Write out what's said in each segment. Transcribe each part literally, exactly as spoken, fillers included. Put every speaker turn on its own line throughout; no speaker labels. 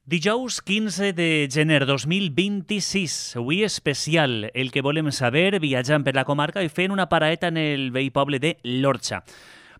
Dijous quinze de gener dos mil vint-i-sis, avui especial, el que volem saber, viatjant per la comarca i fent una paraeta en el vell poble de l'Orxa.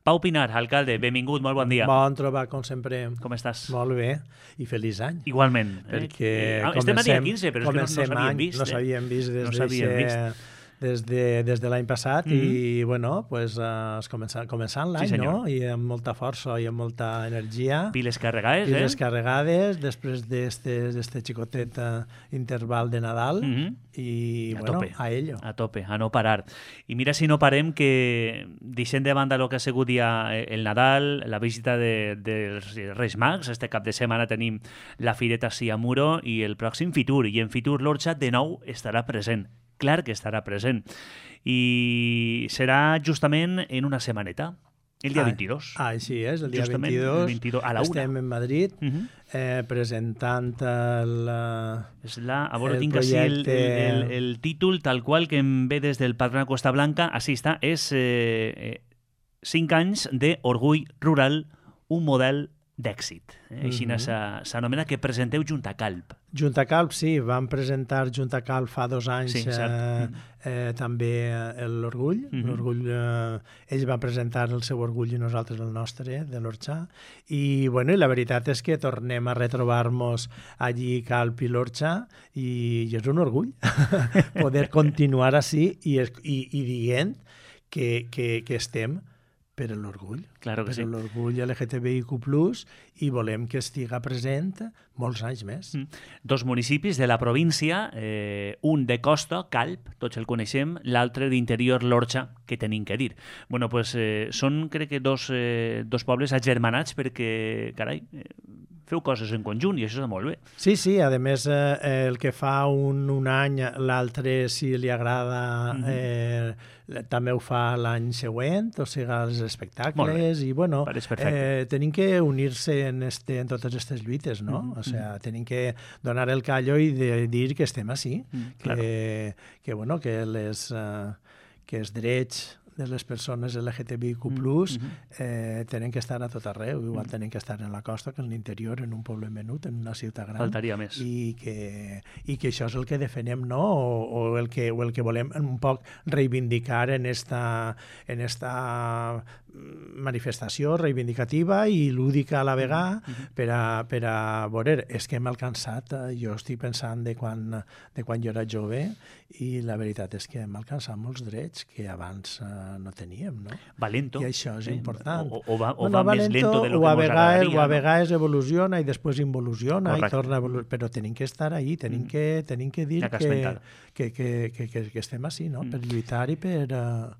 Pau Pinar, alcalde, benvingut, molt bon dia.
Bon trobar, com sempre.
Com estàs?
Molt bé, i feliç any.
Igualment.
Perquè
eh?
comencem,
Estem a dia quinze, però és que no, no s'havien
any,
vist.
No s'havien vist des,
no s'havien vist.
des de, des de l'any passat mm -hmm. i, bueno, pues, uh, començant, començant l'any,
sí,
no? I amb molta força i amb molta energia.
Piles carregades,
Piles
eh?
Piles carregades, després d'este xicotet uh, interval de Nadal mm -hmm. i,
a
bueno,
tope,
a ello.
A tope, a no parar. I mira si no parem que, deixem de banda el que ha sigut ja el Nadal, la visita de, dels Reis Mags, este cap de setmana tenim la Fireta Siamuro i el pròxim Fitur, i en Fitur l'Orxa de nou estarà present. Clar que estarà present. I serà justament en una setmaneta, el dia ah, vint-i-dos.
Ah, així és, el dia
justament
vint-i-dos.
El vint-i-dos a la una.
Estem en Madrid uh -huh. eh, presentant el,
és la, a veure,
el
tinc
projecte...
així el, el, el títol tal qual que em ve des del Patronat Costa Blanca. Així està, és eh, eh, cinc anys d'orgull rural, un model d'èxit. Eh? Així uh -huh. s'anomena, que presenteu Junta Calp.
Junta Calp, sí, vam presentar Junta Calp fa dos anys
sí,
eh, eh, també l'Orgull. Uh -huh. L'Orgull, eh, ells van presentar el seu Orgull i nosaltres el nostre, de l'Orxa. I, bueno, i la veritat és que tornem a retrobar-nos allí Calp i l'Orxa i, i és un orgull poder continuar així i, i, i dient que, que, que estem per l'orgull,
claro que
per
sí.
l'orgull L G T B I Q plus, i volem que estiga present molts anys més. Mm.
Dos municipis de la província, eh, un de costa, Calp, tots el coneixem, l'altre d'interior, l'Orxa, que tenim que dir. Bueno, pues, eh, són, crec que, dos, eh, dos pobles agermanats perquè, carai, eh, feu coses en conjunt i això està molt bé.
Sí, sí, a més, eh, el que fa un, un any, l'altre, si li agrada, mm -hmm. eh, també ho fa l'any següent, o sigui, els espectacles, i, bueno, eh, tenim que unir-se en, este, en totes aquestes lluites, no? Mm -hmm. O sigui, tenim que donar el callo i de dir que estem així, mm, que, claro. que, bueno, que, les, uh, que els drets de les persones L G T B I Q plus, mm-hmm. eh, tenen que estar a tot arreu, igual mm. tenen que estar en la costa que en l'interior, en un poble menut, en una ciutat gran.
Faltaria més.
I que, i que això és el que defenem, no? O, o, el que, o el que volem un poc reivindicar en esta, en esta manifestació reivindicativa i lúdica a la vegada mm-hmm. per, a, per a veure, és que hem alcançat, jo estic pensant de quan, de quan jo era jove, i la veritat és que hem alcançat molts drets que abans uh, no teníem, no?
Valento.
I això és sí. important.
O, o va, o
bueno,
va
valento,
més lento de lo que
mos
agradaria.
O a vegades no? evoluciona i després involuciona.
Correcte.
I torna a evolucionar, però tenim que estar ahí, tenim, mm. que, tenim que dir
que,
que, que, que, que, que estem així, no? Mm. Per lluitar i per... Uh,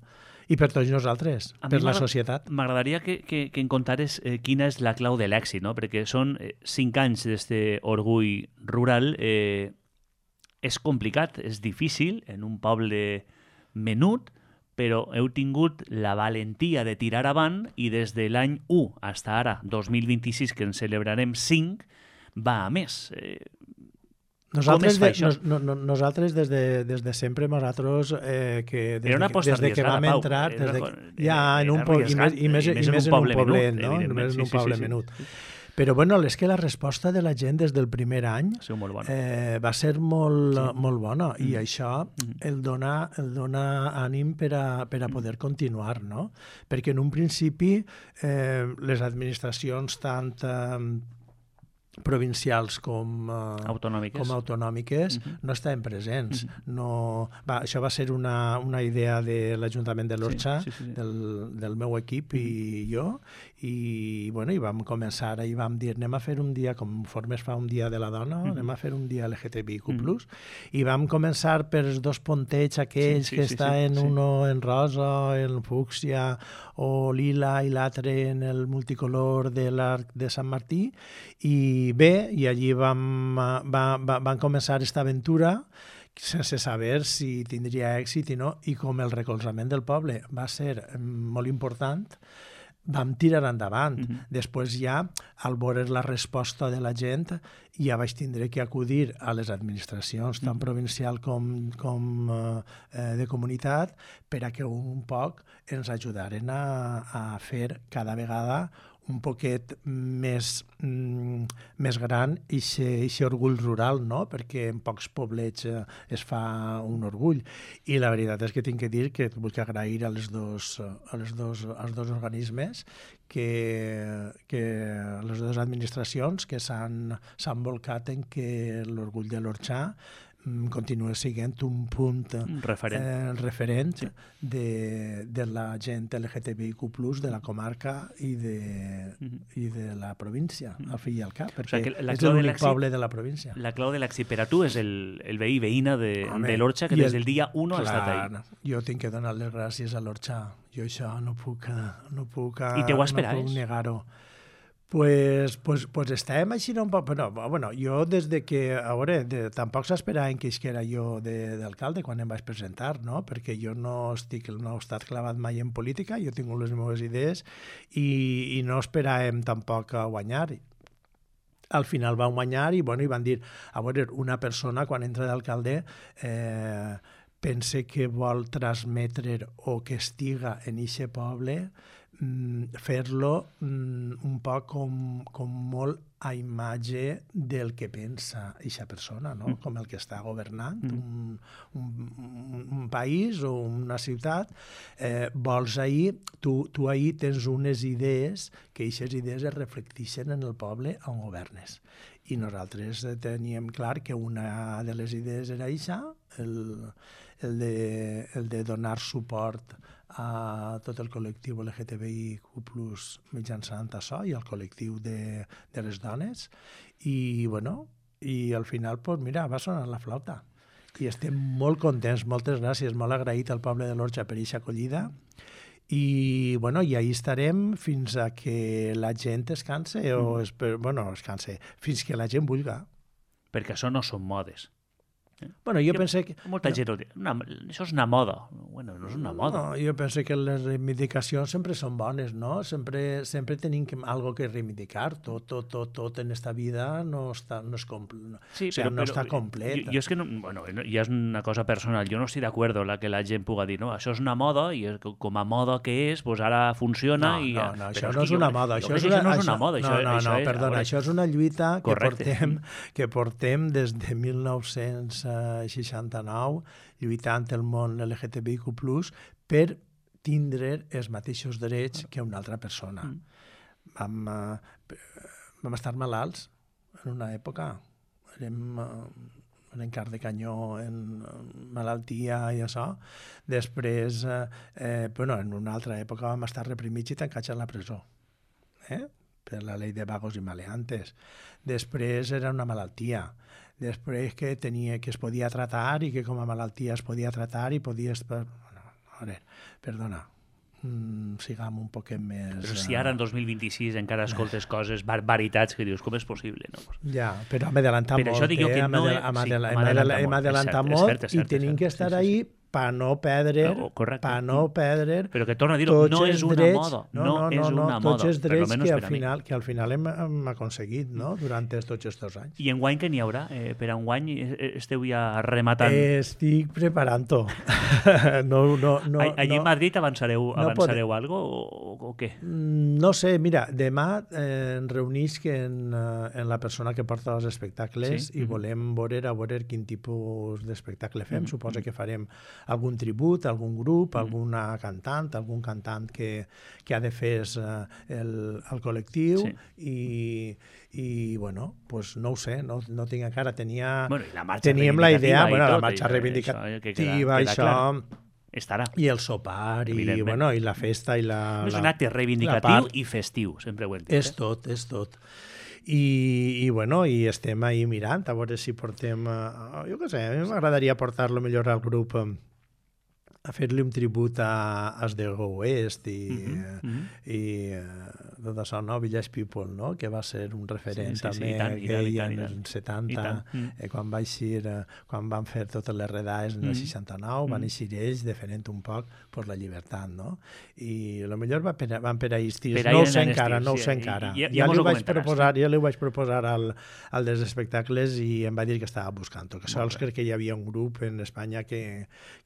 i per tots nosaltres, a per la societat.
M'agradaria que, que, que en contares eh, quina és la clau de l'èxit, no? Perquè són eh, cinc anys d'este orgull rural. Eh, és complicat, és difícil, en un poble menut, però heu tingut la valentia de tirar avant i des de l'any u fins ara, dos mil vint-i-sis, que en celebrarem cinc, va a més. Eh,
Nosaltres, de, no, no, nosaltres des, de, des de sempre, nosaltres, eh, que des, de, des de que vam entrar, des de, ja en un poble, i més, i més, i més, i més en un poblet, menut, no? Només en un poble sí, sí, menut. Sí, sí. Però bueno, és que la resposta de la gent des del primer any
sí, molt bona.
eh, va ser molt, sí. molt bona, mm. i això mm. el, dona, el dona ànim per a, per a poder continuar, no? Perquè en un principi eh, les administracions tant... Eh, provincials com, uh,
autonòmiques,
com autonòmiques uh -huh. no estaven presents. Uh -huh. no, va, això va ser una, una idea de l'Ajuntament de l'Orxa, sí, sí, sí. del, del meu equip uh -huh. i jo, i, bueno, i vam començar i vam dir, anem a fer un dia, conforme es fa un dia de la dona, uh -huh. anem a fer un dia L G T B I Q plus, uh -huh. i vam començar per els dos puntets aquells sí, sí, que sí, estan sí, uno sí. en rosa, en fúcsia o lila, i l'altre en el multicolor de l'Arc de Sant Martí, i bé, i allí vam, va, va, van començar aquesta aventura sense saber si tindria èxit i no, i com el recolzament del poble va ser molt important, vam tirar endavant. Mm-hmm. Després ja, al veure la resposta de la gent, ja vaig tindre que acudir a les administracions, tant mm-hmm. provincial com, com eh, de comunitat, per a que un poc ens ajudaren a, a fer cada vegada un poquet més, mm, més gran aquest orgull rural, no? Perquè en pocs poblets eh, es fa un orgull. I la veritat és que tinc que dir que vull agrair a les dos, a les dos, als dos organismes que, que les dues administracions que s'han volcat en que l'orgull de l'Orxà continua sent un punt
referent,
eh, referent sí. de, de la gent L G T B I Q plus, de la comarca i de, mm-hmm. i de la província, al fi i al cap, perquè o sigui, és l'únic poble de la província.
La clau de l'èxit per a tu és el, el veí veïna de, de l'Orxà, que des del dia u ha estat ahí.
Jo tinc que donar les gràcies a l'Orxà. Jo això no puc, no puc,
I te ho esperaves?
No puc negar-ho. Pues, pues, pues estem així un poc... Bueno, bueno, jo des de que... A veure, de, tampoc s'esperaven que era jo d'alcalde quan em vaig presentar, no? Perquè jo no estic, no he estat clavat mai en política, jo tinc les meves idees i, i no esperàvem tampoc a guanyar. Al final van guanyar i, bueno, i van dir, a veure, una persona quan entra d'alcalde eh, pense que vol transmetre o que estiga en eixe poble, fer-lo un poc com, com molt a imatge del que pensa eixa persona, no? Com el que està governant un, un, un país o una ciutat. Eh, vols ahir, tu, tu ahir tens unes idees que eixes idees es reflecteixen en el poble on governes. I nosaltres teníem clar que una de les idees era eixa, el, el, de, el de donar suport a tot el col·lectiu L G T B I Q plus mitjançant això i al col·lectiu de, de les dones i, bueno, i al final, pues, mira, va sonar la flauta i estem molt contents, moltes gràcies, molt agraït al poble de l'Orxà per aquesta acollida i, bueno, i ahí estarem fins a que la gent es canse o, es, bueno, es canse, fins que la gent vulga.
Perquè això no són modes.
Bueno, jo, jo penso que...
Molta gent ho diu. Una, això és una moda. Bueno, no és una moda.
No, jo penso que les reivindicacions sempre són bones, no? Sempre, sempre tenim que, algo que reivindicar. Tot, tot, tot, tot en esta vida no, està, no, és compl...
sí,
o sigui,
però,
no
però,
està complet.
Jo, jo és que, no, bueno, ja és una cosa personal. Jo no estic d'acord la que la gent puga dir, no, això és una moda i com a moda que és, doncs ara funciona
no,
i...
No, no, això no és una moda.
Això, això no és una moda.
No, no, no, perdona, això és una lluita que portem, que portem des de mil nou-cents seixanta-nou, lluitant el món L G T B I Q plus, per tindre els mateixos drets que una altra persona. Mm. Vam, uh, vam estar malalts en una època. Érem uh, en car de canyó, en uh, malaltia i això. Després, uh, eh, bueno, en una altra època vam estar reprimits i tancats a la presó. Eh? Per la llei de vagos i maleantes. Després era una malaltia. Després que tenia que es podia tratar i que com a malaltia es podia tratar i podies... Bueno, a veure, perdona, mm, sigam un poquet més...
Però si ara en dos mil vint-i-sis encara escoltes coses, barbaritats, que dius, com és possible? No?
Ja, però hem adelantat molt,
això dic jo que
eh?
no
Hem,
he... sí,
hem adelantat, hem adelantat molt, molt i tenim que estar sí, sí, sí. ahí per no perdre,
no, per
no perdre...
Però que torna a dir-ho, no és una
drets,
moda, no,
no, no,
és
no,
una
tots
moda,
els drets que al,
per
final, que al final hem, hem aconseguit, no?, durant tots aquests anys.
I enguany què n'hi haurà? Eh, per enguany esteu ja rematant?
Eh, estic preparant-ho. no, no, no,
Allí
no,
en Madrid avançareu,
no
avançareu algo o, o què?
No sé, mira, demà eh, ens reunisc en, en la persona que porta els espectacles sí? i mm-hmm. volem veure, a veure quin tipus d'espectacle fem. Mm-hmm. Suposo que farem algun tribut, algun grup, mm. alguna cantant, algun cantant que, que ha de fer uh, el, el col·lectiu sí. i, i bueno, pues no ho sé, no, no tinc encara, tenia,
bueno, i la
teníem la idea,
i
bueno,
tot,
la marxa reivindicativa,
això, que queda, queda
això
estarà.
I el sopar, i, bueno, i la festa i la...
No és un acte reivindicatiu i festiu, sempre ho hem dit.
És tot, és tot. I, i bueno, i estem ahí mirant, a veure si portem... Uh, jo què sé, a mi m'agradaria portar-lo millor al grup... Um, a fer-li un tribut a als de Go West i, mm-hmm. uh, i uh, tot això, no? Village People, no? Que va ser un referent sí, sí, també sí, tant, gay en els setanta, mm. eh, quan, va eixir, eh, quan van fer totes les redades en el mm. seixanta-nou, mm. van eixir ells defendent un poc per la llibertat, no? I el millor va per, van per a Istis, per no ho sé encara, no ho sé encara. Ja, ja, ja, li vaig proposar, ja li vaig proposar al, al dels espectacles i em va dir que estava buscant-ho, que sols crec que hi havia un grup en Espanya que,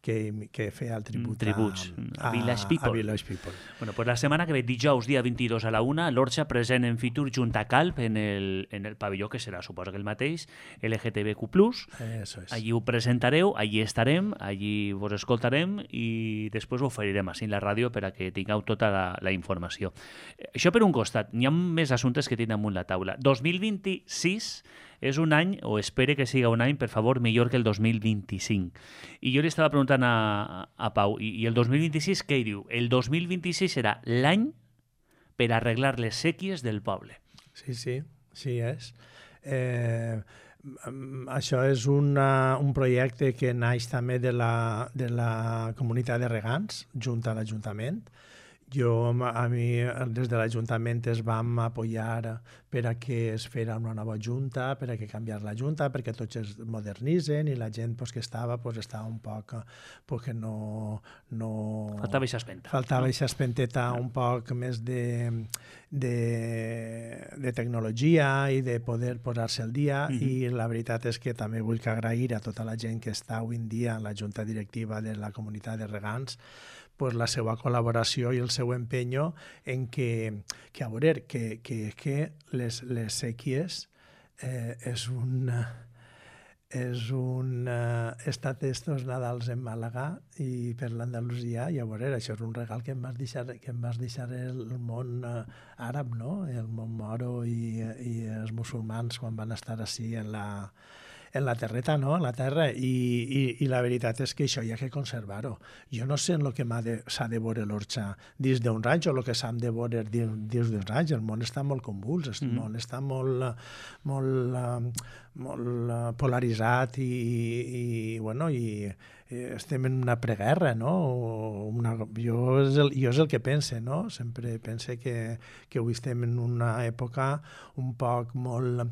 que, que feia fer el tribut
tributs
a, a,
Village People.
A Village People.
Bueno, pues la setmana que ve, dijous, dia vint-i-dos a la una, l'Orxa present en Fitur junt a Calp en el, en el pavelló, que serà, suposo que el mateix, L G T B Q plus.
Eso es.
Allí ho presentareu, allí estarem, allí vos escoltarem i després ho oferirem així en la ràdio per a que tingueu tota la, la informació. Això per un costat. N'hi ha més assumptes que tinc damunt la taula. dos mil vint-i-sis és un any, o espere que siga un any, per favor, millor que el dos mil vint-i-cinc. I jo li estava preguntant a, a Pau, i, i el dos mil vint-i-sis què hi diu? El dos mil vint-i-sis serà l'any per arreglar les sèquies del poble.
Sí, sí, sí és. Eh, això és una, un projecte que naix també de la, de la comunitat de regants, junt a l'Ajuntament. Jo, a mi, des de l'Ajuntament es vam apoyar per a que es fera una nova junta, per a que canviar la junta, perquè tots es modernitzen i la gent pues, que estava pues, estava un poc... Pues, que no, no...
Faltava aquesta espenta.
Faltava aquesta espenteta un poc més de, de, de tecnologia i de poder posar-se al dia mm-hmm. i la veritat és que també vull que agrair a tota la gent que està avui en dia en la junta directiva de la comunitat de regants pues, la seva col·laboració i el seu empenyo en que, que a veure, que, que, que les, les sèquies eh, és un... és un... Uh, he estat estos Nadals en Màlaga i per l'Andalusia i a veure, això és un regal que em vas deixar, que em vas deixar el món uh, àrab, no? El món moro i, i els musulmans quan van estar així en la... en la terreta, no? En la terra, i, i, i la veritat és que això hi ha que conservar-ho. Jo no sé en el que s'ha de, de veure l'Orxa dins d'uns anys o el que s'ha de veure dins d'uns anys. El món està molt convuls, el mm. món està molt, molt, molt polaritzat i, i, bueno, i estem en una preguerra, no? Una, jo, és el, jo és el que pense, no? Sempre pense que, que avui estem en una època un poc molt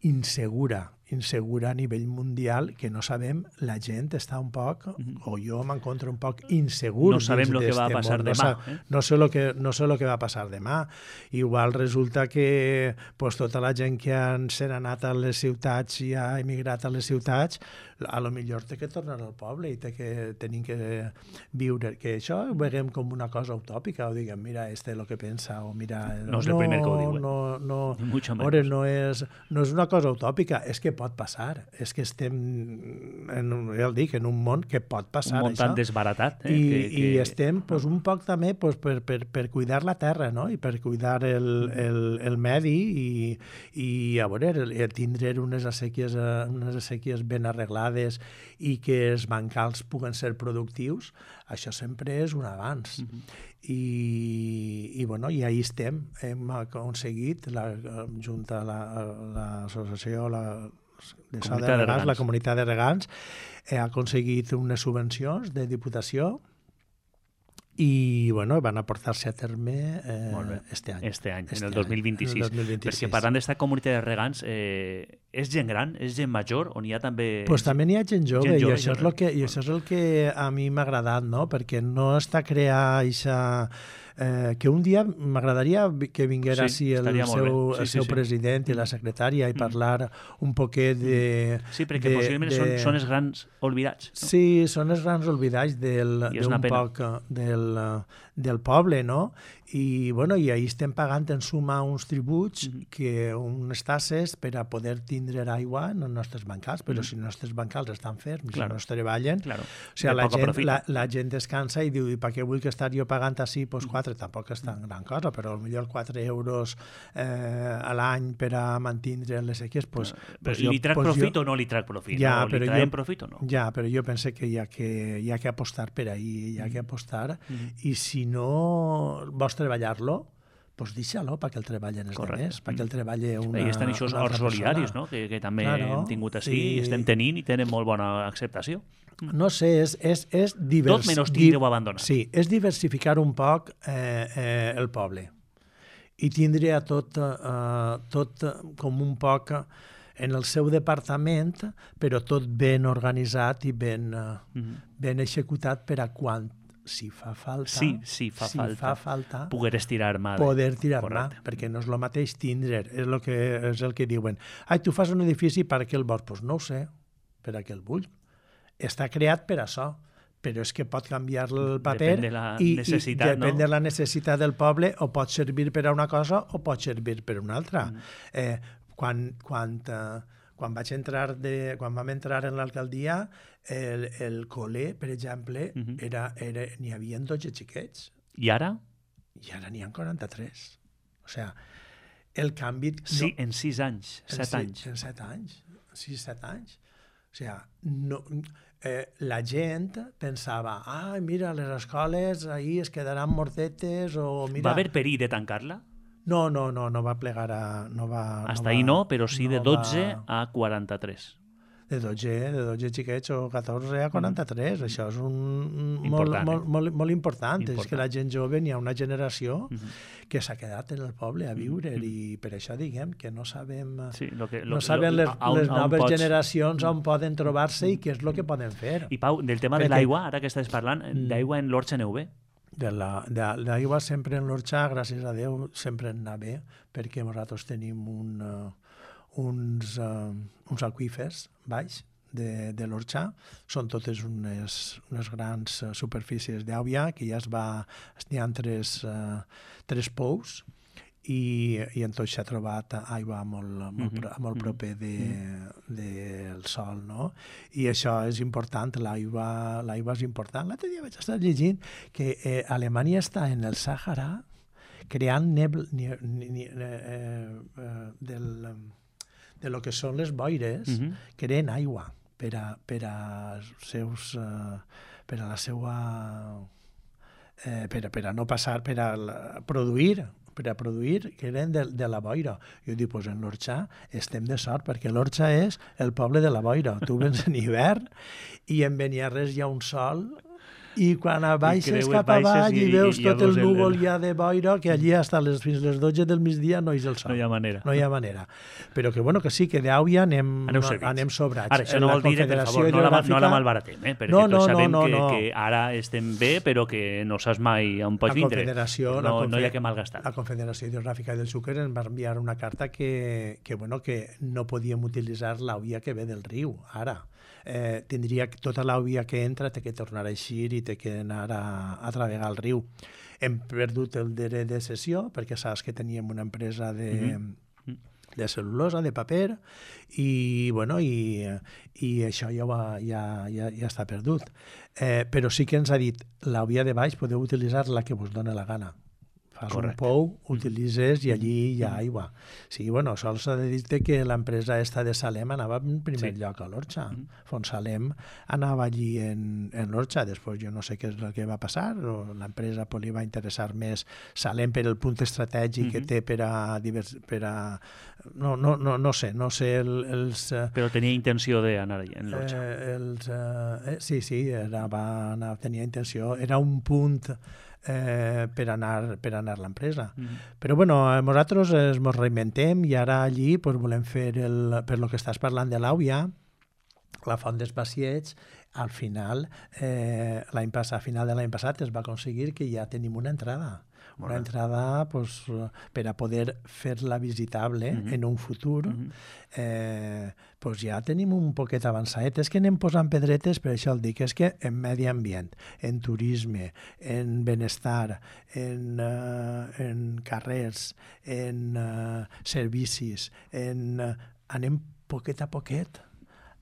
insegura, insegura a nivell mundial, que no sabem, la gent està un poc, mm-hmm. o jo m'encontro un poc insegur.
No sabem el que va a passar
món.
demà.
No, eh? no, sé lo que, no sé el que va a passar demà. Igual resulta que pues, tota la gent que han, s'han anat a les ciutats i ha emigrat a les ciutats, a lo millor té que tornar al poble i té que tenim que viure. Que això ho veiem com una cosa utòpica, o diguem, mira, este és el que pensa, o mira...
No és el primer que ho diu.
No, no,
no,
ore, no, és, no és una cosa utòpica, és que pot passar. És que estem, en, ja el dic, en un món que pot passar,
un món
això.
tan desbaratat. Eh,
I,
que, que...
I estem pues, un poc també pues, per, per, per cuidar la terra, no? I per cuidar el, el, el medi i, i a veure, tindre unes assequies, unes assequies ben arreglades i que els bancals puguen ser productius, això sempre és un avanç. Mm-hmm. I, i, bueno, i ahí estem. Hem aconseguit, la, junt a l'associació la, de, de, de regants, la comunitat de regants, ha aconseguit unes subvencions de Diputació i bueno, van aportar-se a terme eh, este any.
Este any,
este
en el dos mil vint-i-sis.
En el dos mil vint-i-sis.
Perquè parlant d'esta comunitat de regants, eh, és gent gran, és gent major, on hi ha també...
Pues també n'hi ha gent jove, gent jove i, això és, lo que, i
bueno.
això és el que a mi m'ha agradat, no? Perquè no està crear eixa... Eh, que un dia m'agradaria que vinguera
sí,
així el seu,
sí,
el seu
sí, sí.
president i la secretària i parlar un poquet de...
Sí, perquè de, possiblement de... són, són els grans oblidats. No?
Sí, són els grans oblidats del, d'un poc del, del poble, no? I, bueno, i ahir estem pagant en suma uns tributs, mm-hmm. que unes tasses per a poder tindre aigua en els nostres bancals, però mm-hmm. si els nostres bancals estan ferms, claro. si no es treballen,
claro.
o sigui, la gent, la, la gent descansa i diu, i per què vull que estar jo pagant així, doncs quatre, mm-hmm. tampoc és tan gran cosa, però potser quatre euros eh, a l'any per a mantindre les sequies, doncs...
Pues li trac pues profit jo, o no li trac profit?
Ja,
no? Li traiem profit o no?
Ja, però jo penso que hi ha que, hi ha que apostar per ahí, hi ha que apostar, mm-hmm. i si no vols treballar-lo, doncs deixa-lo perquè el treballen els altres, perquè el treballa una,
I estan aquests horts solidaris, no? que, que també claro, hem tingut així i estem tenint i tenen molt bona acceptació.
No sé, és, és, és divers...
Tot menys tindre-ho abandonat.
Sí, és diversificar un poc eh, eh, el poble i tindre a tot, eh, tot com un poc en el seu departament, però tot ben organitzat i ben, mm-hmm. ben executat per a quan si fa falta,
sí, sí, fa
si
falta,
fa falta
poder estirar mà.
Poder tirar mà, perquè no és el mateix tindre, és el que, és el que diuen. Ai, tu fas un edifici per a què el vols? Doncs no ho sé, per a què el vull. Està creat per això, però és que pot canviar el paper
depèn de la
i,
necessitat,
i depèn
no?
de la necessitat del poble, o pot servir per a una cosa o pot servir per a una altra. Mm. Eh, quan, quan, eh, quan vaig entrar de, quan vam entrar en l'alcaldia, el, el col·le, per exemple, mm -hmm. era, era, n'hi havia dotze xiquets.
I ara?
I ara n'hi ha quaranta-tres. O sigui, el canvi...
Sí, no, en sis anys, set
en
anys.
En set anys, sis, set anys. O sigui, no, eh, la gent pensava, ah, mira, les escoles ahir es quedaran mortetes, o mira...
Va haver perill de tancar-la?
No, no, no, no va plegar a... No va,
Hasta
no
ahí
va,
no, però sí
no
de dotze
va...
a quaranta-tres.
De dotze, de dotze xiquets o catorze a quaranta-tres. Mm. Això és un,
important,
molt,
eh?
molt, molt, molt important. important. És que la gent jove, n'hi ha una generació mm -hmm. que s'ha quedat en el poble a viure mm -hmm. i per això diguem que no sabem,
sí, lo que, lo,
no sabem les,
lo,
les
on,
noves
on pots...
generacions on poden trobar-se i què és el que poden fer.
I Pau, del tema Perquè... de l'aigua, ara que estàs parlant, d'aigua en l'Orxa aneu bé?
De l'aigua sempre en l'Orxa, gràcies a Déu, sempre en anar bé, perquè nosaltres tenim un, uh, uns, uh, uns aqüífers baix de, de l'Orxa. Són totes unes, unes grans uh, superfícies d'aigua que ja es va... N'hi ha tres, uh, tres pous i, i en tot s'ha trobat aigua molt, molt, mm -hmm. molt proper del de, de sol, no? I això és important, l'aigua l'aigua és important. L'altre dia vaig estar llegint que eh, Alemanya està en el Sàhara creant nebl, ni, ni, ni, eh, eh, del, de lo que són les boires, mm -hmm. creen aigua per a, per a seus... Eh, per a la seva... Eh, per, a, per a no passar, per a la, produir per a produir, que eren de, de la boira. Jo dic, doncs en l'Orxa estem de sort, perquè l'Orxa és el poble de la boira. Tu vens en hivern i en Beniarrés hi ha un sol i quan baixes cap avall i, i veus i, tot el núvol el... ja de boira, que allí hasta les, fins les dotze del migdia no hi és el sol.
No hi ha manera.
No hi ha manera. Però que, bueno, que sí, que d'àuia anem, no, anem sobrats.
Ara, això no vol dir, per favor, no la, no la malbaratem, eh? perquè
no, no,
tots sabem
no, no,
que,
no.
que ara estem bé, però que no saps mai on pots vindre. No, no hi ha que malgastar.
La Confederació Hidrogràfica del Xúquer ens va enviar una carta que, que, bueno, que no podíem utilitzar l'àuia que ve del riu, ara. Eh, tindria tota l'àuia que entra té que tornar a eixir i té que anar a, a travegar el riu. Hem perdut el dret de cessió perquè saps que teníem una empresa de, mm-hmm. de cel·lulosa, de paper, i, bueno, i, i això ja, va, ja, ja, ja està perdut. Eh, però sí que ens ha dit l'àuia de baix podeu utilitzar la que vos dona la gana. Fas Correcte. Un pou, utilitzes i allí hi ha aigua. Sí, bueno, sols s'ha de dir que l'empresa esta de Salem anava en primer sí. lloc a l'Orxa. Mm. Fontsalem anava allí en, en l'Orxa. Després jo no sé què és el que va passar, o l'empresa pues, li va interessar més Salem per el punt estratègic mm -hmm. que té per a... Divers, per a no, no, no, no sé, no sé el, els...
Però tenia intenció d'anar allà en l'Orxa.
Eh, els, eh, sí, sí, era, va anar, tenia intenció. Era un punt... Eh, per anar, per anar l'empresa. Mm -hmm. Però bueno, nosaltres ens mos reinventem i ara allí pues, volem fer, el, per lo que estàs parlant de l'àuia, la font dels Baciets, al final, eh, l'any passat, a final de l'any passat es va aconseguir que ja tenim una entrada. Una bueno. entrada pues, per a poder fer-la visitable mm -hmm. en un futur. Mm -hmm. eh, pues ja tenim un poquet avançat. És que anem posant pedretes, per això el dic, és que en medi ambient, en turisme, en benestar, en, uh, en carrers, en uh, servicis, en, uh, anem poquet a poquet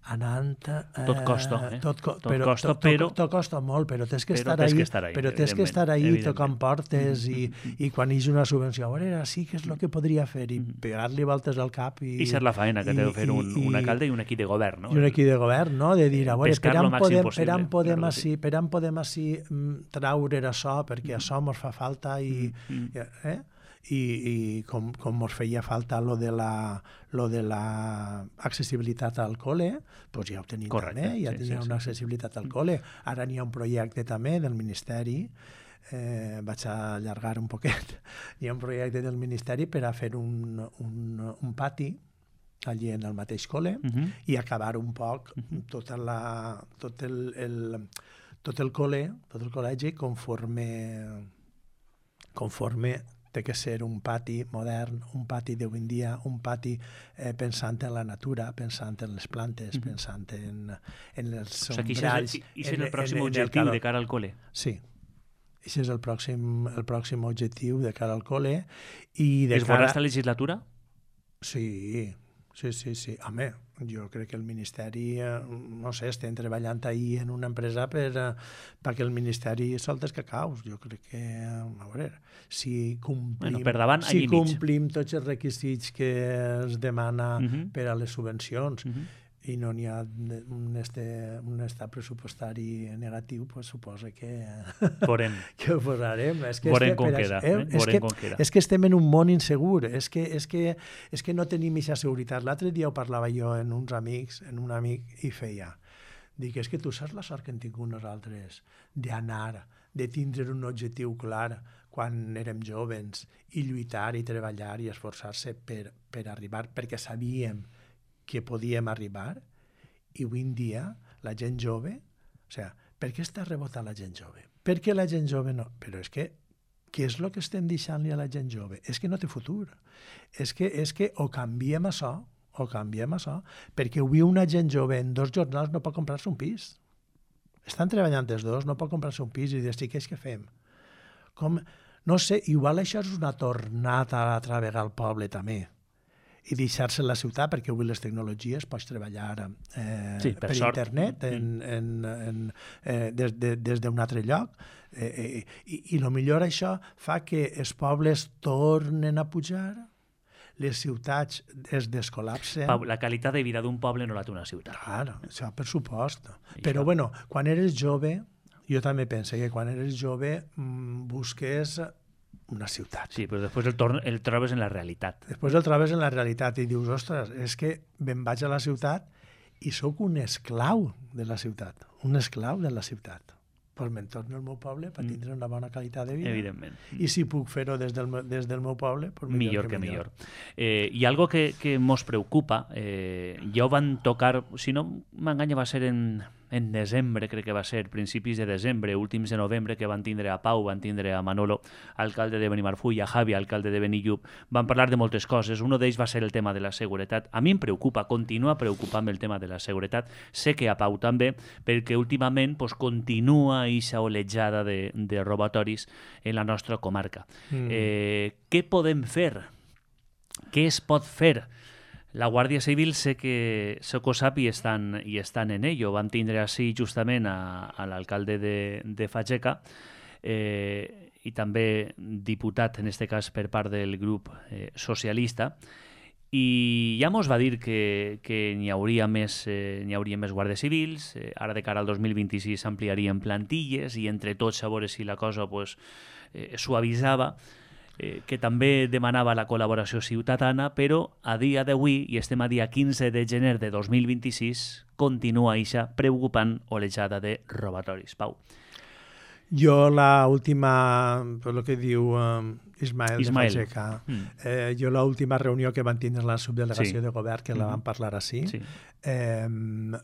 anant... Eh,
tot costa, eh?
Tot, co
tot
però,
costa,
tot,
però...
Tot costa molt, però tens que,
però
estar,
tens
ahí,
que estar ahí.
Però tens que estar ahí tocant portes i,
mm-hmm.
i quan hi ha una subvenció, a veure, sí que és el que podria fer, i mm-hmm. pegar-li voltes al cap. I,
I ser la faena que té de fer un, un alcalde i un equip de govern, no?
I un equip de govern, no? De dir, a veure, per on podem, per on podem,
claro,
així,
sí.
per on podem així traure això, perquè això ens fa falta i...
Mm-hmm.
Eh? I, i com, com ens feia falta lo de la, lo de la accessibilitat al col·le, doncs ja ho tenim
Correcte,
també, ja
sí,
tenim
sí,
una
sí.
accessibilitat al col·le. Ara n'hi ha un projecte també del Ministeri, eh, vaig a allargar un poquet, hi ha un projecte del Ministeri per a fer un, un, un pati allí en el mateix col·le uh -huh. i acabar un poc uh -huh. tota la, tot el, el, tot el col·le, tot el col·legi conforme conforme té que ser un pati modern, un pati d'avui en dia, un pati eh, pensant en la natura, pensant en les plantes, mm-hmm. pensant en, en els sombralls...
O sigui, aquest és el pròxim objectiu de cara al col·le.
Sí. Aquest és el pròxim, el pròxim objectiu de cara al col·le. I de
es
cara...
veurà esta legislatura?
Sí, sí, sí, sí. Home, jo crec que el Ministeri, no sé, estem treballant ahir en una empresa per, perquè el Ministeri solta els cacaus. Jo crec que, a veure, si complim,
bueno, per davant,
si complim tots els requisits que es demana uh-huh. per a les subvencions uh-huh. i no n'hi ha un, este, un estat pressupostari negatiu, pues suposa que, que ho posarem. És que
Veurem com queda. Eh?
Eh? És, que, com queda. És que estem en un món insegur, és que, és que, és que no tenim aquesta seguretat. L'altre dia ho parlava jo en uns amics, en un amic, i feia. Dic, és que tu saps la sort que hem tingut nosaltres d'anar, de tindre un objectiu clar quan érem joves i lluitar i treballar i esforçar-se per, per arribar, perquè sabíem que podíem arribar, i avui en dia la gent jove, o sigui, per què està rebotant la gent jove? Per què la gent jove no? Però és que, què és el que estem deixant-li a la gent jove? És que no té futur. És que, és que o canviem això, o canviem això, perquè avui una gent jove en dos jornals no pot comprar-se un pis. Estan treballant els dos, no pot comprar-se un pis i dir, sí, què és que fem? Com, no sé, igual això és una tornada a altra vegada al poble també, i deixar-se en la ciutat, perquè avui les tecnologies pots treballar eh,
sí, per,
per internet en,
mm.
en, en, eh, des, de, des d'un altre lloc. Eh, eh, i, I el millor això fa que els pobles tornen a pujar, les ciutats es descol·lapsen.
Pau, la qualitat de vida d'un poble no la té una ciutat.
Clar, això per supost. Però, bueno, quan eres jove, jo també penso que quan eres jove mmm, busques una ciutat.
Sí, però després el, torn, el trobes en la realitat.
Després el trobes en la realitat i dius, ostres, és que me'n vaig a la ciutat i sóc un esclau de la ciutat, un esclau de la ciutat. Pues me'n torno al meu poble per tindre una bona qualitat de vida.
Evidentment.
I si puc fer-ho des, del, des del meu poble, pues millor,
millor
que,
que
millor.
millor. Eh, I algo que, que mos preocupa, eh, ja ho van tocar, si no m'enganya va ser en, en desembre, crec que va ser, principis de desembre, últims de novembre, que van tindre a Pau, van tindre a Manolo, alcalde de Benimarfull, a Javi, alcalde de Benillup, van parlar de moltes coses. Uno d'ells va ser el tema de la seguretat. A mi em preocupa, continua preocupant el tema de la seguretat. Sé que a Pau també, perquè últimament pues, continua aquesta olejada de, de robatoris en la nostra comarca. Mm. Eh, què podem fer? Què es pot fer? La Guàrdia Civil sé que sé que ho sap i estan, i estan en ello. Vam tindre així justament a, a l'alcalde de, de Fageca eh, i també diputat, en aquest cas per part del grup eh, socialista, i ja mos va dir que, que n'hi hauria més, eh, n'hi hauria més guàrdies civils, eh, ara de cara al dos mil vint-i-sis s'ampliarien plantilles i entre tots a veure si la cosa pues, eh, suavitzava, eh, que també demanava la col·laboració ciutadana, però a dia d'avui, i estem a dia quinze de gener de dos mil vint-i-sis, continua eixa preocupant olejada de robatoris. Pau.
Jo la última, per lo que diu um, Ismael,
Ismael
de Fageca,
mm.
eh, jo la última reunió que van tindre la subdelegació
sí.
de govern, que mm-hmm. la van parlar així,
sí.
eh,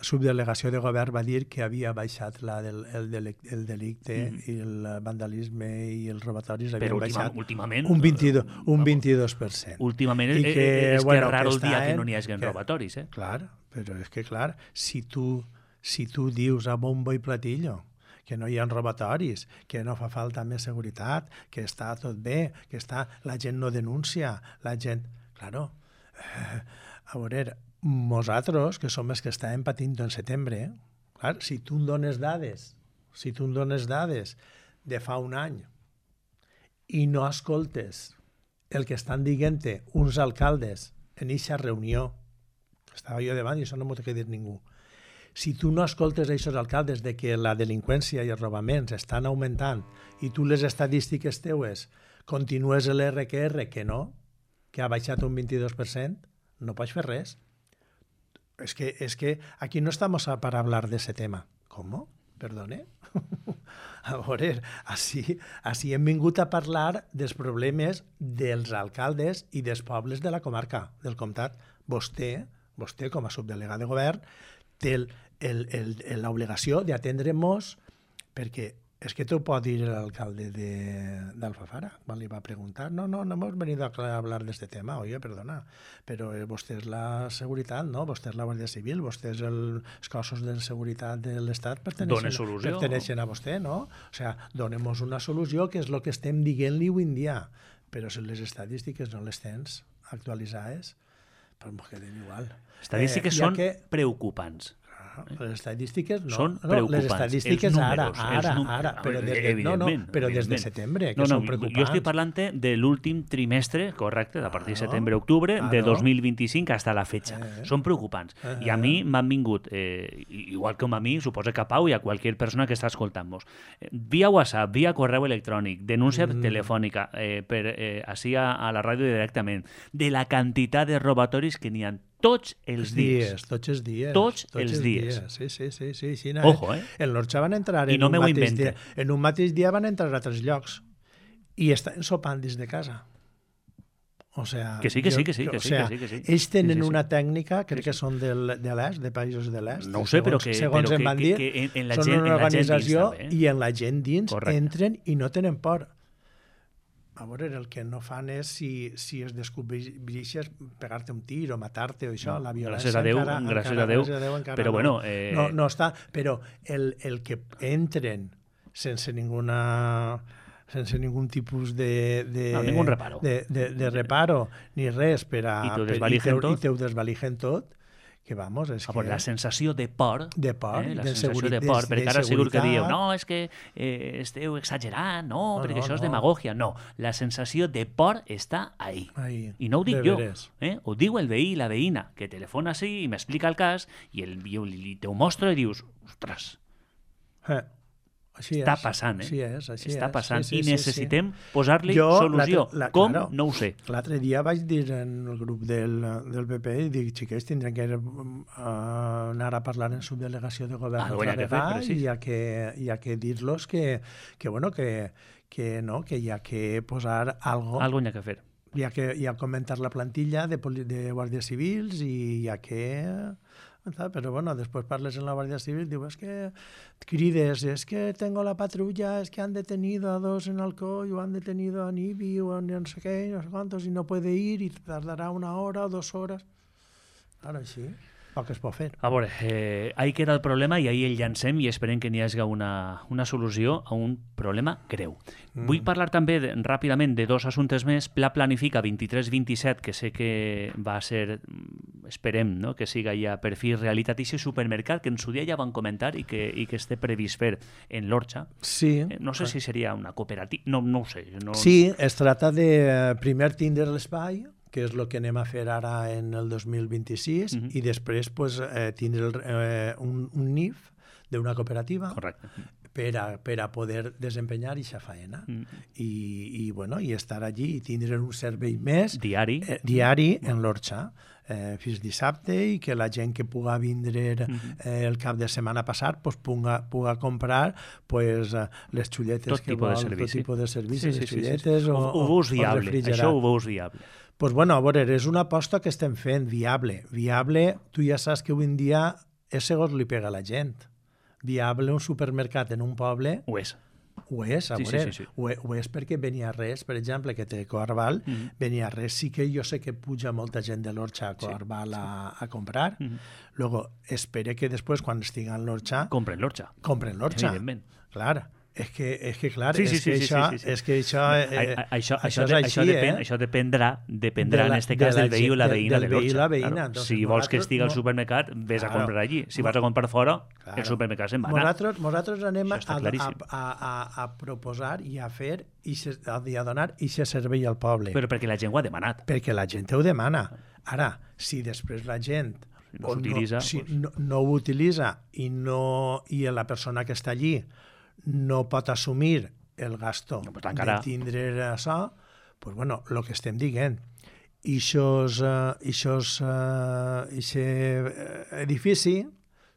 subdelegació de govern va dir que havia baixat la del, el, delicte, el delicte mm. i el vandalisme i els robatoris havien
Però última,
baixat
últimament,
un vint-i-dos, un vint-i-dos per cent.
Últimament
I
que, és
bueno,
que és raro el dia
en,
que no n'hi hagi robatoris. Eh?
Clar, però és que clar, si tu, si tu dius a bombo i platillo que no hi ha robatoris, que no fa falta més seguretat, que està tot bé, que està, la gent no denuncia, la gent... Claro, eh, a veure, nosaltres, que som els que estàvem patint en setembre, clar, si tu em dones dades, si tu em dones dades de fa un any i no escoltes el que estan dient-te uns alcaldes en eixa reunió, estava jo davant i això no m'ho té que dir ningú, si tu no escoltes aquests alcaldes de que la delinqüència i els robaments estan augmentant i tu les estadístiques teues continues l'R Q R, que no, que ha baixat un vint-i-dos per cent, no pots fer res. És que, és que aquí no estamos para hablar de ese tema. ¿Cómo? Perdone? A veure, així, així hem vingut a parlar dels problemes dels alcaldes i dels pobles de la comarca, del comtat. Vostè, vostè com a subdelegat de govern, té l'obligació d'atendre-nos perquè es que te ho pot dir l'alcalde d'Alfafara, quan li va preguntar. No, no, no hemos venido a hablar de este tema. Oye, perdona, però vostè és la seguretat, no? Vostè és la Guàrdia Civil, vostè és els cossos de seguretat de l'Estat perteneixen, perteneixen a vostè, no? O sigui, donemos una solució, que és el que estem dient-li avui en dia. Però si les estadístiques no les tens actualitzades, pues m'ho queden igual.
Estadístiques eh, són que... preocupants.
Les estadístiques no,
són
no
preocupants.
Les estadístiques
números,
ara, ara,
números,
ara, però, des de, no, no, però des de setembre, que
no, no,
són preocupants.
Jo estic parlant de l'últim trimestre, correcte, a partir de setembre-octubre ah, de dos mil vint-i-cinc fins a la fetxa. Eh. Són preocupants. Eh. I a mi m'han vingut, eh, igual com a mi, suposo que a Pau i a qualsevol persona que està escoltant-nos, eh, via WhatsApp, via correu electrònic, denúncia mm. telefònica, eh, per, eh, així a, a la ràdio directament, de la quantitat de robatoris que n'hi ha tots els dies.
dies. Tots els dies.
Tots, tots els, els dies.
dies. Sí, sí, sí. sí, sí no,
Ojo, eh?
En l'Orxa van entrar
I
en,
no
un mateix
dia,
en un mateix dia van entrar a tres llocs i estan sopant dins de casa. O sea,
que sí, que
jo,
sí, que sí, que,
o sea,
sí, que sí.
Ells tenen
sí, sí, sí.
una tècnica, crec que són del, de l'est, de països de l'est.
No ho sé, però que,
segons
però
em van
que,
dir,
que, que en la
són
gent,
una organització
en la gent dins,
i en la gent dins
Correcte.
Entren i no tenen por. A veure, el que no fan és, si, si es descobreixes, pegar-te un tir o matar-te o això, no, la violència
gràcies a Déu,
encara,
gràcies
encara,
a Déu,
gràcies a Déu encara
però
no,
bueno... Eh...
No, no està, però el, el que entren sense ninguna... sense ningun tipus de... de
no, ningun reparo.
De, de, de reparo, ni res, per a...
I t'ho desvaligen tot.
I t'ho desvaligen tot. Que vamos, és
ah,
que...
La sensació de por,
de por,
eh, la
de
sensació de por, perquè ara segur que dieu, no, és que eh, esteu exagerant, no, no perquè no, això és no. demagogia. No, la sensació de por està ahí.
ahí.
I no ho dic
de
jo,
eh?
Ho diu el veí i la veïna, que telefona així i m'explica el cas i, el, i te ho mostra i dius, ostres,
eh. Així
està
és,
passant, eh?
Així és, així
està
és.
passant
sí, sí,
i necessitem
sí, sí.
posar-li
jo,
solució.
La,
Com?
Claro,
no ho sé.
L'altre dia vaig dir en el grup del, del P P i dic, xiquets, tindrem que uh, anar a parlar en subdelegació de govern
ah,
altra vegada
sí.
i hi ha que, hi ha que dir-los que, que, bueno, que, que, no, que hi ha que posar algo.
Algo hi ha que fer.
Hi ha que hi ha que augmentar la plantilla de, de guàrdies civils i hi ha que... Pero bueno, después parles en la Guardia Civil, digo, es que crides, es que tengo la patrulla, es que han detenido a dos en Alcoy o han detenido a Nibi o no sé qué, no sé cuántos, y no puede ir y tardará una hora o dos horas. Ara sí, el que es pot fer.
A veure, eh, ahí queda el problema i ahí el llancem i esperem que n'hi hagi una, una solució a un problema greu. Mm. Vull parlar també de, ràpidament de dos assumptes més. Pla Planifica vint-i-tres vint-i-set, que sé que va ser, esperem, no?, que siga ja per fi realitat, i supermercat que en su dia ja van comentar i que, i que esté previst fer en l'Orxa.
Sí.
Eh, no sé si seria una cooperativa, no, no ho sé. No...
Sí, es trata de primer tindre l'espai, que és el que anem a fer ara en el dos mil vint-i-sis, uh-huh. i després pues, eh, tindre el, eh, un, un N I F d'una cooperativa.
Correcte.
Per a, per a poder desempenyar aquesta faena. Uh-huh. I, i, bueno, i estar allí i tindre un servei més
diari,
eh, diari en l'Orxa. Eh, fins dissabte, i que la gent que puga vindre eh, el cap de setmana passat pues, puga, puga comprar pues, les xulletes
tot
que
tipus
vol,
de servici.
tot tipus de servicis,
sí, sí,
les xulletes
sí, sí.
o,
ho, ho veus viable, això ho veus viable.
Pues bueno, a veure, és una aposta que estem fent, viable. Viable, tu ja saps que avui en dia és segons li pega a la gent. Viable un supermercat en un poble...
Ho és.
Ho és, a
sí,
veure,
sí, sí, sí.
Ho, ho és perquè Beniarrés, per exemple, que té Coarbal, mm-hmm. Beniarrés sí que jo sé que puja molta gent de l'Orxa a Coarbal sí, sí. a, a comprar. Mm-hmm. Luego, espere que després, quan estigui en l'Orxa...
Compren l'Orxa.
Compren l'Orxa.
Evidentment.
Clar. És que, és que clar,
sí, sí,
és, que
sí,
això,
sí, sí, sí.
és que això... Eh,
a, a, això,
això,
això, de,
és així,
això, depèn,
eh?
això dependrà, dependrà
la,
en este cas
de
del veí o la veïna de,
del veí
l'Orxa.
Veïna,
claro.
Entonces,
si vols que estigui
no...
al supermercat, vés
claro.
a comprar allí. Si vas a comprar fora, claro. el supermercat se'n va anar.
Nosaltres, nosaltres anem a,
a,
a, a, a proposar i a fer i a, a donar aquest servei al poble.
Però perquè la gent ho ha demanat.
Perquè la gent ho demana. Ara, si després la gent
no, no,
si
pues...
no, no ho utilitza i, no, i la persona que està allí no pot assumir el gasto
no, encara...
de tindre això, pues bueno, el que estem dient, ixos, uh, ixos, uh, ixe edifici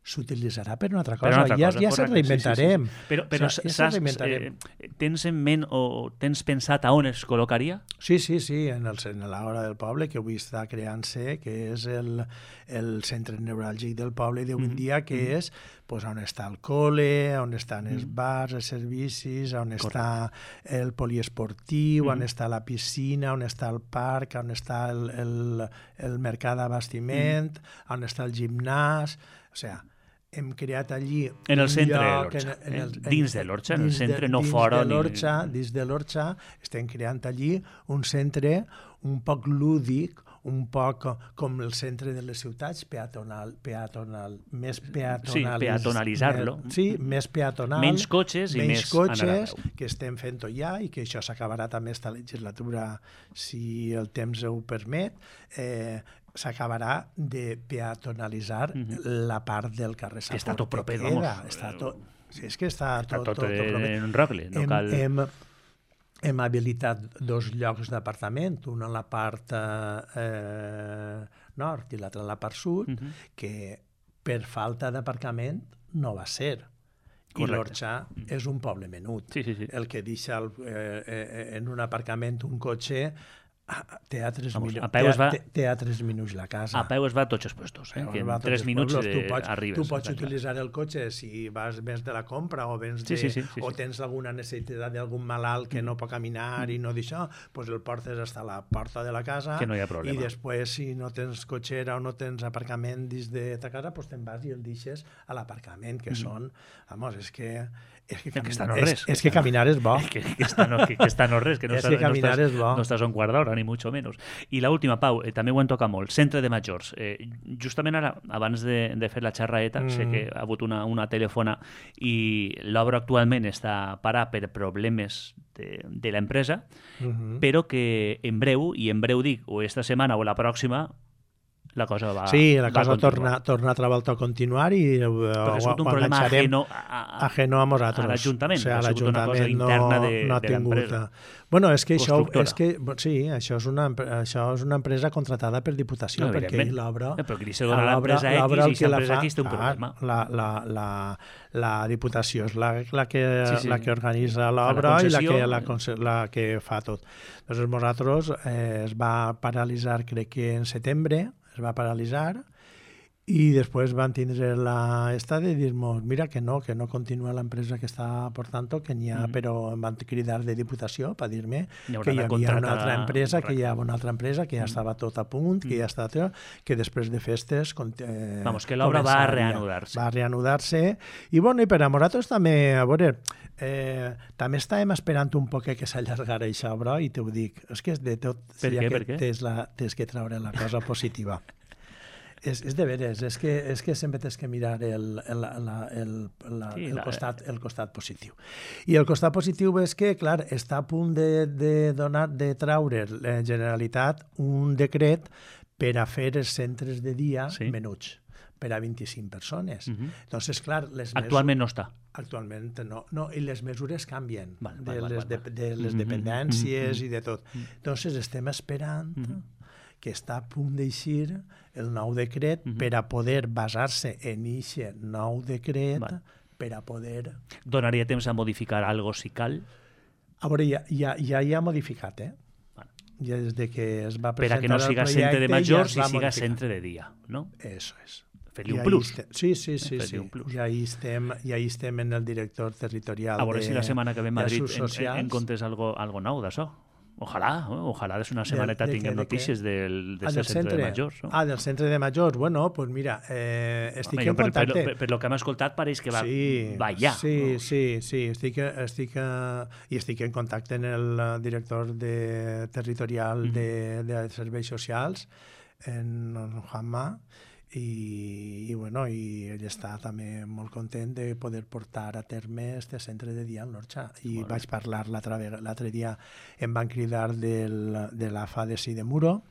s'utilitzarà per una altra cosa.
Per una altra
ja
cosa,
ja se
correcte,
reinventarem.
sí, sí, sí. Però, però
O sea, ja
saps,
se reinventarem.
eh, tens en ment o tens pensat a on es col·locaria?
Sí, sí, sí, en, el, en l'Hora del Poble, que avui està creant-se, que és el, el centre neuràlgic del poble d'avui en
Mm-hmm.
dia, que
Mm-hmm.
és pues, on està el col·le, on estan els
Mm-hmm.
bars, els servicis, on
Correcte.
està el poliesportiu, on
Mm-hmm.
està la piscina, on està el parc, on està el, el, el mercat d'abastiment, on està el gimnàs... O sigui, hem creat allí...
En el
un
centre de
lloc,
l'Orxa,
en- en
eh?
el- en-
Dins de l'Orxa, en el
dins de-
centre, no
dins
fora
de
ni-
l'Orxa, Dins de l'Orxa estem creant allí un centre un poc lúdic, un poc com el centre de les ciutats, peatonal, peatonal més peatonal.
Sí, peatonalitzar-lo.
Sí, més peatonal.
Menys cotxes i
menys
més
cotxes,
anar a peu.
que estem fent-ho ja i que això s'acabarà també esta legislatura, si el temps ho permet, eh, s'acabarà de peatonalitzar
Mhm.
la part del carrer
Que està tot proper,
Saportequera.
vamos.
Està tot, sí, és que està,
Està
tot,
tot,
tot, tot proper.
en rogle, no
hem,
cal...
hem, hem habilitat dos llocs d'apartament, un a la part eh, nord i l'altre a la part sud,
Mhm.
que per falta d'aparcament no va ser. I
Correcte.
l'Orxa és un poble menut.
Sí, sí, sí.
El que deixa el, eh, eh, en un aparcament un cotxe ah, té a tres,
Vamos,
minu-
a peu
té,
es va-
té, té a tres minuts la casa.
A peu es va a tots els puestos, eh?
Llavors
que
va a
en
tots
tres
els
minuts
pueblos.
eh,
tu pots,
arribes.
tu pots
està clar.
utilitzar el cotxe si vas vens de la compra o vens
Sí,
de,
sí, sí, sí,
o
sí.
tens alguna necessitat d'algun malalt que no pot caminar i no d'això, doncs el portes fins a la porta de la casa
Que no hi ha problema.
i després si no tens cotxera o no tens aparcament dins de ta casa, doncs te'n vas i el deixes a l'aparcament, que són, vamos, és que és que,
que està
caminar,
no res.
és, és que caminar és bo.
Que, que, està no, que, que està no res, que no,
És
estàs,
que caminar
no,
és
estàs,
bo.
no estàs a un quart d'hora, ni mucho menos. I l'última, Pau, eh, també ho en toca molt, centre de majors. Eh, justament ara, abans de, de fer la xerraeta, mm. sé que ha hagut una, una telefona i l'obra actualment està parada per problemes de, de l'empresa,
Uh -huh.
però que en breu, i en breu dic, o esta setmana o la pròxima, la cosa va
Sí, la
va
cosa
continuar.
torna, torna altra volta a continuar i eh,
Perquè ha
ho,
sigut un
ho
problema
enganxarem
ajeno a, a,
ajeno a nosaltres.
a l'Ajuntament,
O sigui,
ha sigut una cosa
l'Ajuntament
interna
no,
de-
no ha
de
tingut...
l'empresa.
Bueno, és que això,
Constructora.
és que, sí, això és, una, empre- això és una empresa contratada per Diputació,
No,
perquè
evidentment.
l'obra...
Eh, però aquí se dona
a l'obra-
l'empresa X
l'obra el
i
que la
l'empresa
fa-
X té un
ah,
problema.
La, la, la, la Diputació és la, la, que,
Sí, sí.
la que organitza
Fa la
l'obra i la
concessió.
que, la, conce- la que fa tot. Llavors, nosaltres eh, es va paralitzar, crec que en setembre, es va paralitzar, i després van tindre la esta de dir-nos, mira que no, que no continua l'empresa que està portant-ho, que n'hi ha,
Mm.
però em van cridar de Diputació per dir-me
Hi haurà
que hi
de
havia
contractar-
una altra empresa, que hi
correcte.
havia una altra empresa, que ja estava tot a punt, que ja està tot, que després de festes... Eh,
Vamos, que l'obra va a
començaria.
reanudar-se.
Va a reanudar-se. I bueno, i per a nosaltres també, a veure, eh, també estàvem esperant un poc que s'allargara aquesta obra, i t'ho dic, és que és de tot,
Per
ja
què,
que
per què?
tens, la, tens que treure la cosa positiva. És, és de veres, és que, és que sempre tens que mirar el, el, la, el, la,
Sí,
el,
la-
costat, el costat positiu. I el costat positiu és que, clar, està a punt de, de donar, de traure la Generalitat un decret per a fer els centres de dia
Sí.
menuts, per a vint-i-cinc persones.
Mhm.
Entonces, clar, les
Actualment no està.
Actualment no, no, i les mesures canvien
Val,
de,
val, val,
les,
val,
de,
val.
de les
Mhm,
dependències
mhm,
i de tot. Entonces estem esperant
Mhm.
que està a punt d'eixir el nou decret
Mhm.
per a poder basar-se en aquest nou decret
Val.
per a poder...
Donaria temps a modificar algo si cal,
A veure, ja, ja, ja hi ha modificat, eh?
Val.
Ja des de que es va
per
presentar
a que no
el
siga
projecte,
centre de
ja
majors
es
i
va
siga
modificar.
centre de dia, no?
Eso és.
Fer-li
I
un
ahí
plus.
estem- Sí, sí, sí,
Fer-li
sí.
un plus.
I ahí estem, i ahí estem en el director territorial
A veure
de,
si la setmana que ve a
de
Madrid
Assuts
en, en,
Socials.
en comptes algo, algo nou d'això. Ojalà, eh? ojalà des una setmaneta
de què,
tinguem
de què?
notícies del,
Ah,
del
del
centre,
centre
de majors. No?
Ah, del centre de majors. Bueno, pues mira, eh, estic
Home, jo
en
per, per,
contacte.
per, per, lo que hem escoltat pareix que va,
sí,
va ja.
Sí,
no?
sí, sí. Estic, estic, eh, I estic en contacte amb el eh, director de, territorial
Mhm.
de, de serveis socials, en Juanma, i, i, bueno, i ell està també molt content de poder portar a terme este centre de dia al Norxa. I
Molt bé.
vaig parlar l'altre vega- l'altre dia, em van cridar del, de l'A F A de Sidemuro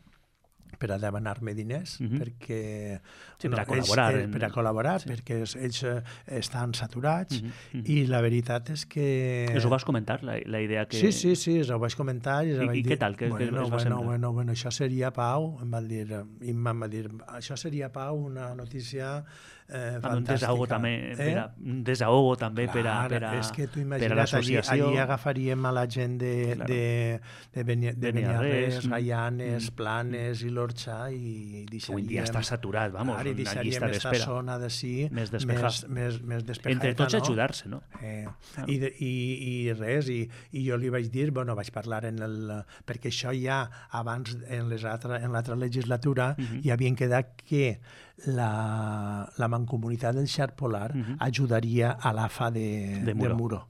per a demanar-me diners, uh -huh. perquè...
Sí, per a col·laborar.
Ells,
en...
Per a col·laborar,
sí.
perquè ells eh, estan saturats, uh -huh. Uh -huh. i la veritat és que...
Us ho vas comentar, la, la idea que...
Sí, sí, sí, ho vaig comentar. I,
I,
vaig
i
dir,
què tal? Què,
bueno,
què es va
bueno,
semblar?
bueno, bueno, això seria, Pau, em va dir, Imma em va dir, això seria, Pau, una notícia eh, fantàstica.
Un desahogo també,
eh?
per a, un desahogo també
Clar,
per a, per a,
és que tu
per a
imagina't, allí,
l'associació.
allí agafaríem a la gent de,
Claro.
de, de, Beni, de Beniarrés, Gaianes,
mm,
Planes mm. i l'Orxa i deixaríem...
Avui dia està saturat, vamos,
clar,
una llista d'espera.
Aquesta zona d'ací
més
més, més, més despejada.
Entre tots
no?
ajudar-se, no?
Eh,
claro.
i, de, i, I res, i, i jo li vaig dir, bueno, vaig parlar en el... perquè això ja abans, en l'altra legislatura, uh -huh. hi havien quedat que la, la mancomunitat del Xarp Polar uh -huh. ajudaria a l'A F A de,
de, Muro.
de Muro.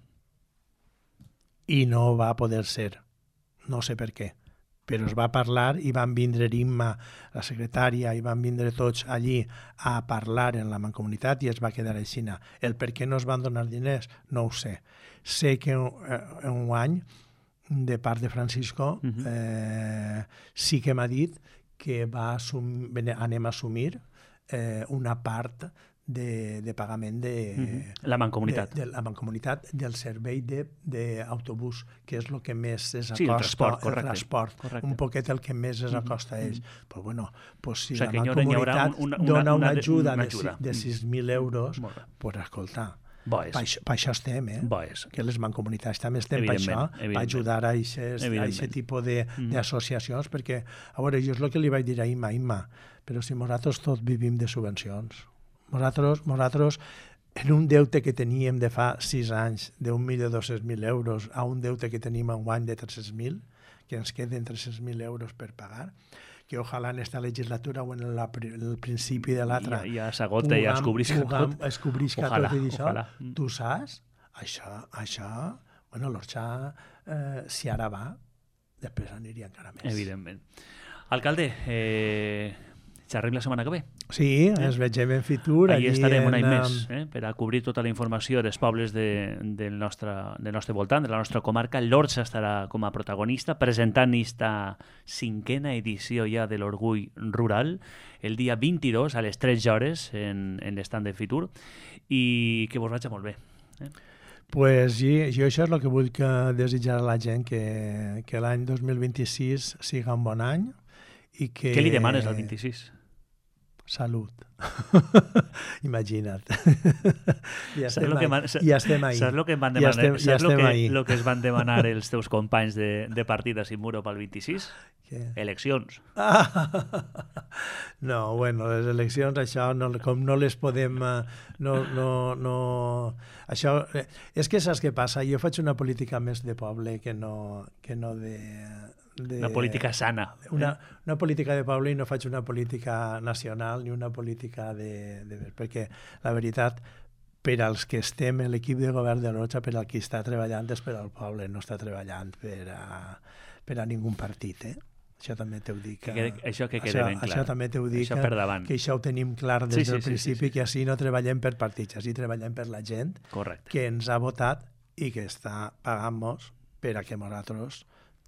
I no va poder ser. No sé per què. Però es va parlar i van vindre Imma, la secretària, i van vindre tots allí a parlar en la mancomunitat i es va quedar així. El per què no es van donar diners, no ho sé. Sé que un, un any, de part de Francisco, uh -huh. eh, sí que m'ha dit que va assum, anem a assumir eh, una part de, de pagament de,
uh-huh. la mancomunitat.
De, de la mancomunitat del servei d'autobús, que és el que més es acosta.
Sí, el transport, correcte.
El transport,
correcte.
un poquet el que més es acosta uh-huh. a ells.
Uh-huh.
Però bueno, pues si
o sigui,
la mancomunitat
una, una,
dona una,
una
ajuda,
una
de,
ajuda.
de sis mil euros, pues escolta,
Bo és.
Per, això, per això estem, eh?
Bo és.
Que les mancomunitats també estem per això, per ajudar a aquest tipus d'associacions, mm. perquè, a veure, jo és el que li vaig dir a Imma, Imma, però si nosaltres tots vivim de subvencions, nosaltres, nosaltres en un deute que teníem de fa sis anys d'un milió dos-cents mil euros a un deute que tenim en guany de tres-cents mil, que ens queden tres-cents mil euros per pagar, que ojalà en esta legislatura o en la, el principi de l'altra
ja, ja s'agota i ja es cobrisca tot.
Es cobrisca
ojalà,
tot i això.
Ojalà.
Tu saps? Això, això, bueno, l'Orxa, eh, si ara va, després aniria encara més.
Evidentment. Alcalde, eh, xerrem la setmana que ve.
Sí, eh? ens vegem en Fitur.
Allí estarem un any més, eh? per a cobrir tota la informació dels pobles de, del, nostre, del nostre voltant, de la nostra comarca. L'Orxa estarà com a protagonista, presentant esta cinquena edició ja de l'Orgull Rural, el dia vint-i-dos a les tres hores en, en l'estand de Fitur, i que vos vagi molt bé. Eh?
Pues jo, jo això és el que vull que desitjar a la gent, que, que l'any dos mil vint-i-sis siga un bon any. I que...
Què li demanes al vint-i-sis?
Salut. Imagina't. ja,
estem
estem
man...
ja estem ahí.
Saps el que, van demanar...
ja estem, ja
Saps el que,
lo
que es van demanar els teus companys de, de partida sin muro pel vint-i-sis?
Què?
Eleccions.
Ah, no, bueno, les eleccions, això, no, com no les podem... No, no, no... Això, és que saps què passa? Jo faig una política més de poble que no, que no de... De,
una política sana.
Una, eh? una política de poble i no faig una política nacional ni una política de... de perquè la veritat, per als que estem en l'equip de govern de l'Orxa, per al qui està treballant és per al poble, no està treballant per a, per a ningú partit, eh? Això també t'ho dic.
Que quede, això que quede
això,
ben clar.
Això també t'ho dic,
això per davant.
Que això ho tenim clar des
sí, sí,
del
sí,
principi, sí, sí, sí. que així no treballem per partits, així treballem per la gent
Correcte.
que ens ha votat i que està pagant-nos per a que nosaltres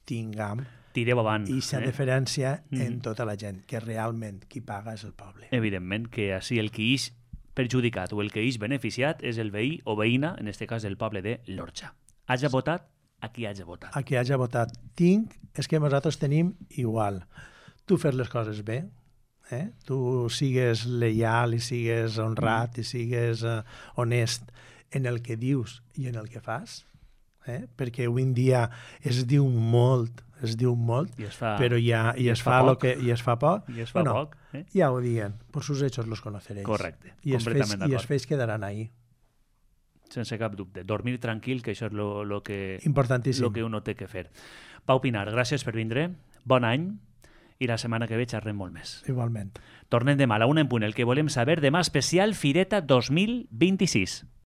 tinguem
tireu avant.
I aquesta eh? diferència
mm.
en tota la gent, que realment qui paga és el poble.
Evidentment que així el que és perjudicat o el que és beneficiat és el veí o veïna, en aquest cas el poble de l'Orxa. Haja votat a qui haja votat.
A qui haja votat. Tinc, és que nosaltres tenim igual. Tu fer les coses bé, eh? Tu sigues lleial i sigues honrat mm. i sigues uh, honest en el que dius i en el que fas, eh? Perquè avui en dia es diu molt, es diu molt,
I es fa,
però ja, i,
i
es,
es
fa
fa
lo que, i es fa poc.
I es fa
bueno,
poc. Eh?
Ja ho diuen, por sus hechos los conoceréis.
Correcte,
I
completament d'acord.
I els fets quedaran ahí.
Sense cap dubte. Dormir tranquil, que això és lo, lo que,
importantíssim.
Lo que uno té que fer. Pau Pinar, gràcies per vindre. Bon any. I la setmana que ve xerrem molt més.
Igualment.
Tornem demà a la una en punt. El que volem saber demà especial Fireta dos mil vint-i-sis.